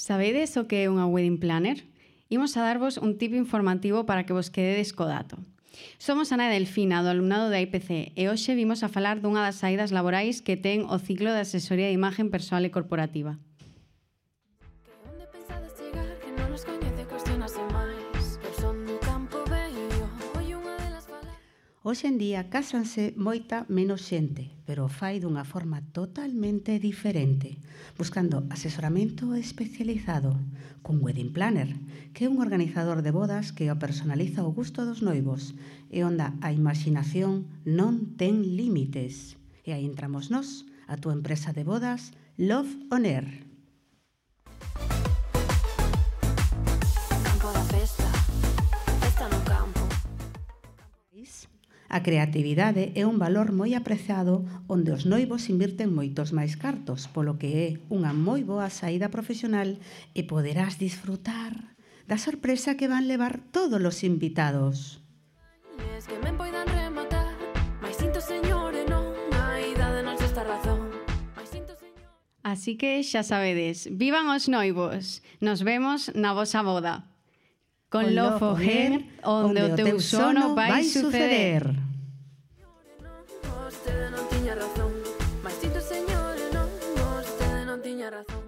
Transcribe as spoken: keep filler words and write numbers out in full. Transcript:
Sabedes o que é unha wedding planner? Imos a darvos un tip informativo para que vos quededes co dato. Somos Ana e Delfina, do alumnado da I P C, e hoxe vimos a falar dunha das saídas laborais que ten o ciclo de asesoría de imagen persoal e corporativa. Hoxe en día cásanse moita menos xente, pero o fai dunha forma totalmente diferente, buscando asesoramento especializado, cun wedding planner, que é un organizador de bodas que o personaliza ao gusto dos noivos e onde a imaxinación non ten límites. E aí entramos nós, a túa empresa de bodas, Love On Air. A creatividade é un valor moi apreciado onde os noivos invirten moitos máis cartos, polo que é unha moi boa saída profesional e poderás disfrutar da sorpresa que van levar todos os invitados. Así que xa sabedes, vivan os noivos, nos vemos na vosa boda. Con Love On Air, onde o teu sono vai suceder. Vostede non tiña razón, mas si tu señor non, vostede non tiña razón.